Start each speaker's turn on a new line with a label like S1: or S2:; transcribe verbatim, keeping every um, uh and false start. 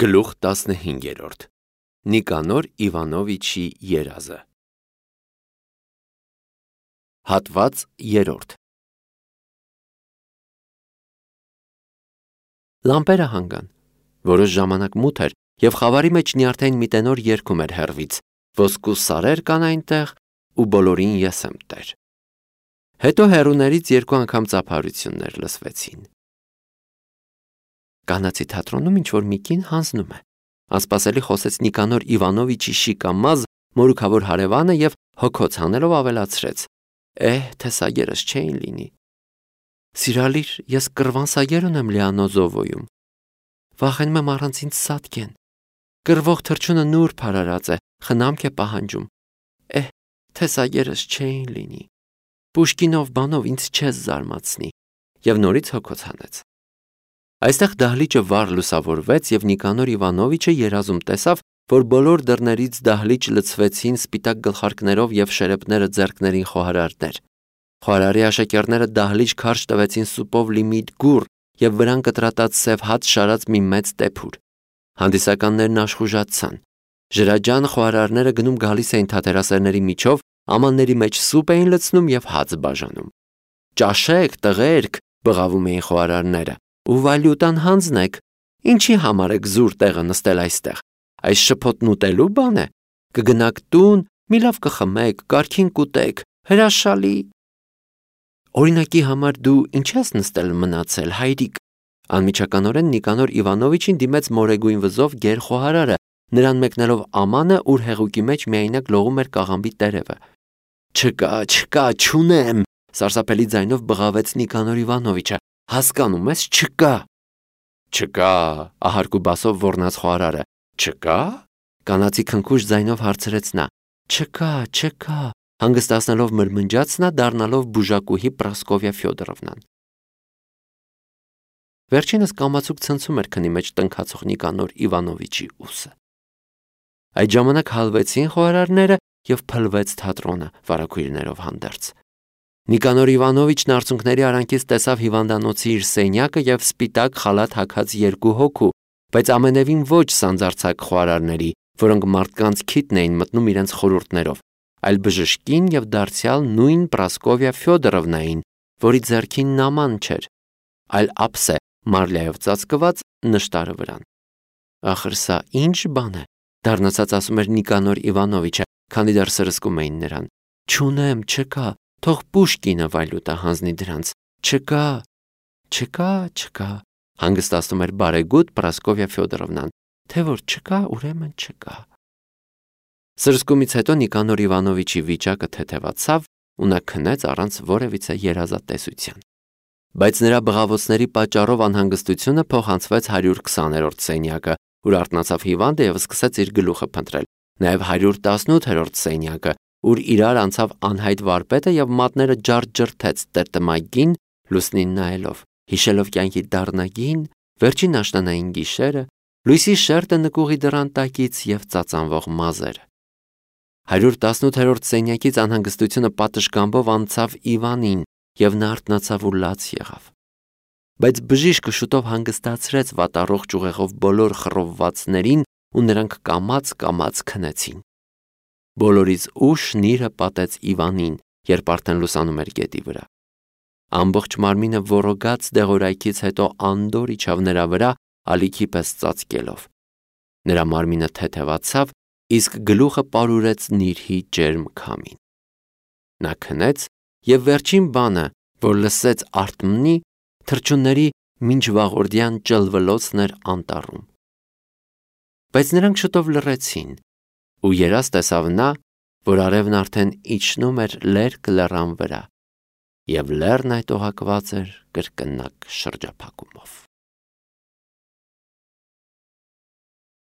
S1: Գլուխ տասնհինգերորդ Նիկանոր Իվանովիչի երազը Հատված երրորդ Լամպերը հանգան, որոշ ժամանակ մութ էր, և խավարի մեջ նյարդային մի տենոր երգում էր հեռվից, ոսկու սարեր կան այնտեղ, ու բոլորին ես եմ տեր։ Հետո հեռուներից երկու անգամ ծափարություններ լսվեցին։ Կանացի թատրոնում ինչ-որ մի կին հանձնում է, անսպասելի խոսեց Նիկանոր Իվանովիչի շիկամազ մորուքավոր հարևանը և հոգոց հանելով ավելացրեց. Էհ, թե սագերս չէին լինի։ Սիրալիր, ես կռվան սագեր ունեմ Լիանոզովոյում։ Վախենում եմ առանց ինձ սատկեն։ Կռվող թռչունը նուրբ հարարած է, խնամք է պահանջում։ Էհ, թե սագերս չէին լինի։ Պուշկինով բանով ինձ չես զարմացնի։ Եվ նորից հոգոց հանեց։ Այստեղ դահլիճը վառ լուսավորվեց, և Նիկանոր Իվանովիչը երազում տեսավ, որ բոլոր դռներից դահլիճ լցվեցին սպիտակ գլխարկներով և շերեպները ձեռքներին խոհարարներ։ Խոհարարի աշակերտները դահլիճ քարշ տվեցին սուպով լի միտ գուռ և վրան կտրատած սև հաց շարած մի մեծ տեփուր։ Հանդիսականներն աշխուժացան։ Ժրաջան խոհարարները գնում գալիս էին թատերասերների միջով, ամանների մեջ սուպ էին լցնում և հաց բաժանում։ Ճաշեք, տղերք, բղավում էին խոհարարները, ու վալյուտան հանձնեք, ինչի համար եք զուր տեղը նստել այստեղ, այս շփոթն ուտելու բան է, կգնաք տուն, մի լավ կխմեք, կարգին կուտեք, հրաշալի։ Օրինակի համար դու ինչ ես նստել մնացել, հայրիկ։ Անմիջականորեն Նիկանոր Իվանովիչին դիմեց մորեգույն վզով գեր խոհարարը, նրան մեկնելով ամանը, ուր հեղուկի մեջ միայնակ լողում էր կաղամբի տերևը։ Չկա, չկա, չունեմ, սարսափելի ձայնով բղավեց Նիկանոր Իվանովիչը, հասկանում ես, չկա։ Չկա, ահարկու բասով ոռնաց խոհարարը։ Չկա։ Կանացի քնքուշ ձայնով հարցրեց նա։ Չկա, չկա, հանգստացնելով մրմնջաց նա, դառնալով բուժակուհի Պրասկովիա Ֆյոդորովնան։ Վերջինս կամացուկ ցնցում էր քնի մեջ տնքացող Նիկանոր Իվանովիչի ուսը։ Այդ ժամանակ հալվեցին խոհարարները և փլվեց թատրոնը վարագույրներով հանդերձ։ Նիկանոր Իվանովիչն արցունքների արանքից տեսավ հիվանդանոցի իր սենյակը և սպիտակ խալաթ հագած երկու հոգու, բայց ամենևին ոչ սանձարձակ խոհարարների, որոնք մարդկանց քիթն էին մտնում իրենց խորհուրդներով, այլ բժշկին և դարձյալ նույն Պրասկովիա Ֆյոդորովնային, որի ձեռքին նաման չէր, այլ ափսե մարլիայով ծածկված նշտարը վրան։ Ախր սա ինչ բան է, դառնացած ասում էր Նիկանոր Իվանովիչը, քանի դեռ սրսկում էին նրան։ Չունեմ, չկա, թող Պուշկինը վայլուտը հանձնի դրանց։ Չկա, չկա, չկա, հանգստացնում էր բարեգութ Պրասկովիա Ֆյոդորովնան, թե որ չկա, ուրեմն չկա։ Սրսկումից հետո Նիկանոր Իվանովիչի վիճակը թեթևացավ ու նա քնեց առանց որևիցե երազատեսության։ Բայց նրա բղավոցների պատճառով անհանգստությունը փոխանցվեց հարյուր քսաներորդ սենյակը, ուր արթնացավ հիվանդը և սկսեց իր գլուխը փնտրել, նաև հարյուր տասնութերորդ սենյակը, ուր իրար անցավ անհայտ վարպետը և մատները ջարդ-ջրթեց տերտմայգին, լուսնին նայելով, հիշելով կյանքի դառնագին, վերջին աշնանային գիշերը, լույսի շերտը նկուղի դռան տակից և ծածանվող մազերը։ Հարյուր տասնութերորդ սենյակից անհանգստությունը պատշգամբով անցավ Իվանին, և նա արթնացավ ու լաց եղավ։ Բայց բժիշկը շուտով հանգստացրեց վատառողջ ուղեղով բոլոր խռովվածներին ու նրանք կամաց-կամաց քնեցին։ Բոլորից ուշ նիրհը պատեց Իվանին, երբ արդեն լուսանում էր գետի վրա։ Ամբողջ մարմինը ոռոգաց դեղորայքից հետո անդորր իջավ նրա վրա, ալիքի պես ծածկելով։ Նրա մարմինը թեթևացավ, իսկ գլուխը պարուրեց նիրհի ջերմ քամին։ Նա քնեց և վերջին բանը, որ լսեց արթմնի, թռչունների մինչվաղորդյան ճլվլոցն էր անտառում։ Բայց նրանք շուտով լռեցին, ու երազ տեսավ նա, որ արևն արդեն իջնում էր լերկ լեռան վրա, և լեռն այդ օղակված էր կրկնակ շրջափակումով։